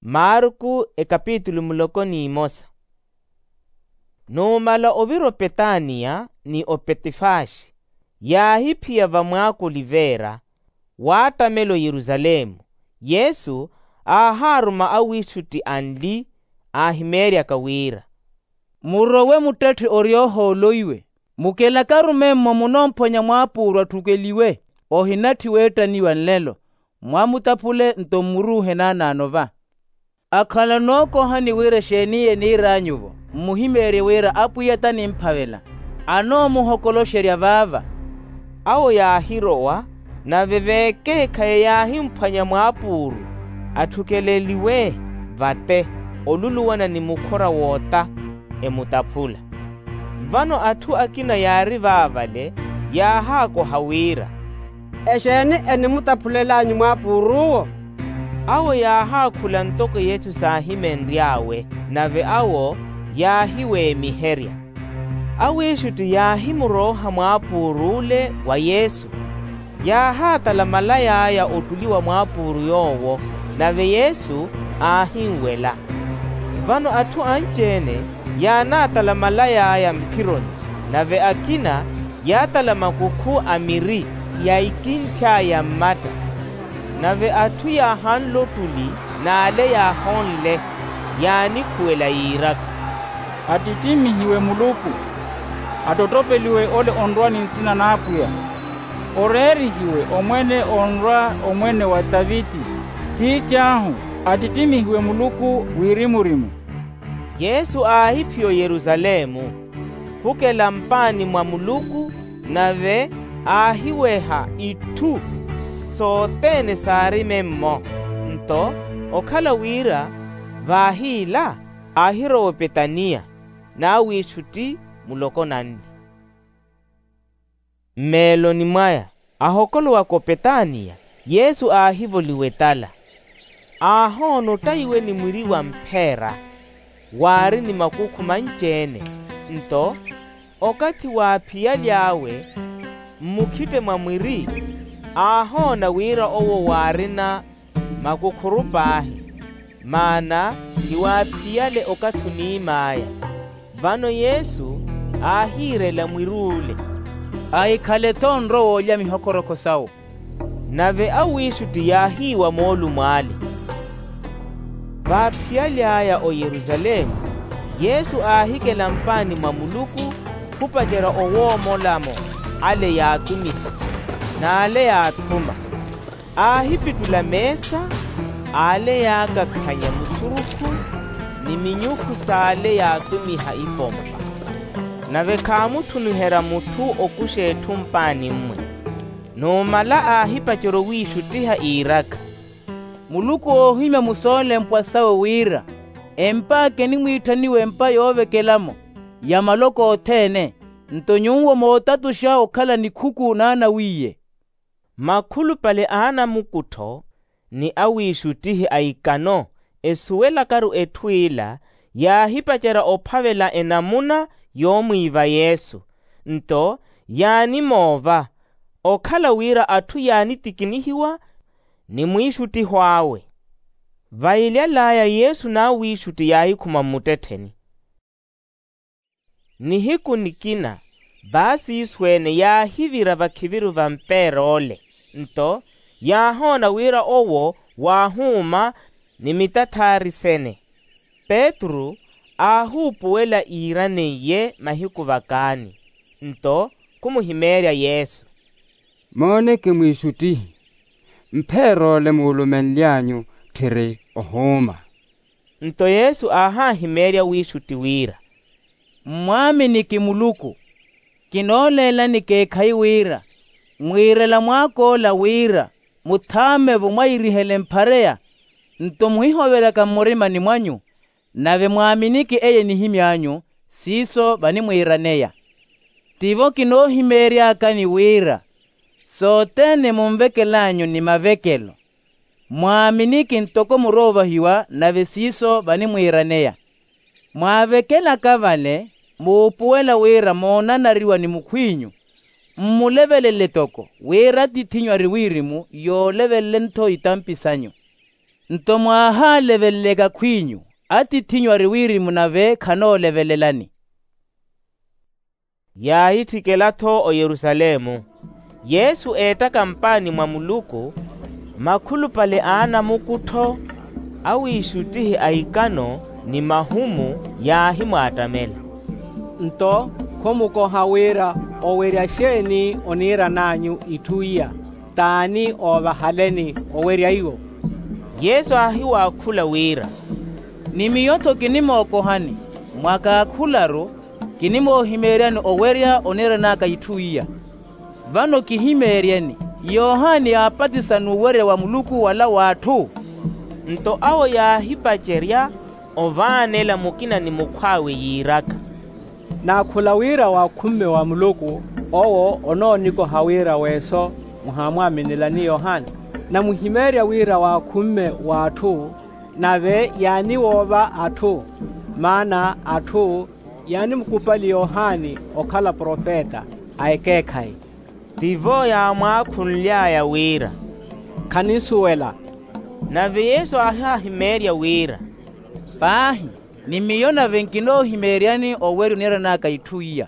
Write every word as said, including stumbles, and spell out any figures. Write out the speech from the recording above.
Marku ekapitulu muloko n'imosa. Numala ovira opetaniya ni opetifaxi, yaahiphiya vamwaaka oliveera, waattamela oyerusalemu. Yesu aahaaruma awiixutti anli, aahimeeryaka wira, murowe muttetthe ori ohooloiwe, mukelakaru memmo munoomphonya mwaapuuru atthukeliwe. Ohinatthi weettaniwa nlelo, mwamutaphule nto mmuruuhe naanaano va. Akhala onookohani wira exeeni eniir'anyu-vo, mmuhimeerye wira apwiya tanimphavela, anoomuhokoloxerya vaava. Awo yaahirowa, nave veekeekhayi yaahimphwanya mwaapuuru, atthukeleliwe vate, oluluwana ni mukhora woota, emutaphula. Vano atthu akina yaari vaavale, yaahaakoha wira, exeeni enimutaphulelanyu mwaapuuruwo? Awo yaahaakhula ntoko yesu saahimenry'awe, nave awo yaahiweemiherya. Awiixutti yaahimurooha mwaapuur'ule wa yesu, yaahaatala malay'aya ottuli wa mwaapuuru yoowo, nave yesu aahinwela. Vano atthu anci-ene yaanaatala malay'aya mphironi, nave akina yaatala makukhu a miri ya ikintthya ya mmatta. Nave atthu yaahanla ottuli n'ale yaahonle, yaanikhuwela yiiraka, attittimihiwe muluku, attottopeliwe ole onrwa ni nsina n'apwiya, oreerihiwe omwene onrwa omwene wa taviti. Tiitt'ahu, attittimihiwe muluku wirimu-rimu. Yesu aahiphiya oyerusalemu, khukela mpaani mwa muluku, nave aahiweha itthu sothene saari memmo. Nto okhala wira vaahiila, aahirowa opetaniya, n'awiixutti muloko nanli. Mmeeloni mwaya, ahokolowaka opetaniya, yesu aahivoliwa etala, aahoona ottaiwe ni mwiri wa mpheera, waari ni makukhu manci-ene. Nto okathi waaphiyaly'awe mmukhitte mwa mwiri, aahoona wira owo waarina makukhuru paahi, maana khiwaaphiyale okathi oniim'aya. Vano yesu aahiirela mwir'ule, ahikhale-tho onrowa olya mihokorokho sawo. Nave awiixutti yaahiiwa moolumo ale. Vaaphiyaly'aya oyerusalemu, yesu aahikela mpaani mwa muluku, khupacerya owoomolamo ale yaatumihwa, n'ale yaathuma. Aahipittula meesa, ale yaakakhanya musurukhu, ni minyukhu s'ale yaatumiha ipompa. Nave khaamutthuniherya mutthu okuxa etthu mpaani-mwe. Numala aahipacerya owiixuttiha iiraka, muluku oohimya musoolempwa sawe wira, emp'aka enimwiitthaniwa empa yoovekelamo ya maloko othene. Nto nyuwo mootatuxa okhala nikhuku n'anawiiye. Makhulupale a anamukuttho ni awiixuttihi a ikano, esuwelakaru etthu ila, yaahipacerya ophavela enamuna yoomwiiva yesu. Nto yaanimoova, okhala wira atthu yaanitikinihiwa ni mwiixuttiho awe. Vailyal'aya yesu n'awiixutti yaahikhuma mmuttettheni. Nihiku nikina, vaasiiso-ene yaahivira vakhiviru va mpeer'ole. Nto yaahoona wira owo waahuuma ni mitathaari sene. Petru aahuupuwela iiraneiye mahiku vakaani. Nto khumuhimeerya yesu, mooneke mwiixuttihi, mpheer'ole muulumenly'anyu tthiri ohuuma. Nto yesu aahaahimeerya wiixutti wira, mmwaaminiki muluku. Kinooleelani ekeekhayi wira mwiirela mwaak'ola wira muthaame-vo mwairihele mphareya. Nto muhihoveryaka mmurimani mwanyu, nave mwaaminiki eye enihimy'anyu, siiso vanimwiiraneya. Tivo kinoohimeeryakani wira sothene munvekel'anyu ni mavekelo, mwaaminiki ntoko muroovahiwa nave siiso vanimwiiraneya. Mwaavekelaka vale, muupuwela wira moonanariwa ni mukhw'inyu, mmulevelele toko wira atiith'inyu ari wirimu yoolevelele-tho itampi sanyu. Nto mwaahaleveleleka khwinyu, atiith'inyu ari wirimu nave khanoolevelelani. Yaahitthikela-tho oyerusalemu. Yesu eettaka mpaani mwa muluku, makhulupale a anamukuttho, awiixuttihi a ikano ni mahumu yaahimwaattamela. Nto khomukoha wira owerya xeeni oniiran'anyu itthu iya? T'ani oovahaleni owerya iwo? Yesu aahiwaakhula wira, ni miyo-tho kinimookohani, mwa kaakhularu kinimoohimeeryani owerya oniiran'aka itthu iya. Vano kihimeeryeni, yohani aapatisa n'uwerya wa muluku wala w'atthu? Nto awo yaahipacerya ovaanela mukina ni mukhw'awe yiiraka, naakhula wira waakhumme wa muluku, owo onoonikoha wira weeso muhaamwaaminelani yohani? Namuhimeerya wira waakhumme w'atthu, nave yaaniwoova atthu, maana atthu yaanimukupali yohani okhala profeta a ekeekhayi. Tivo yaamwaakhunly'aya wira, khaninsuwela. Nave yesu aahihimeerya wira, paahi, ni miyo nave nkinoohimeeryani owerya oniiran'aka itthu iya.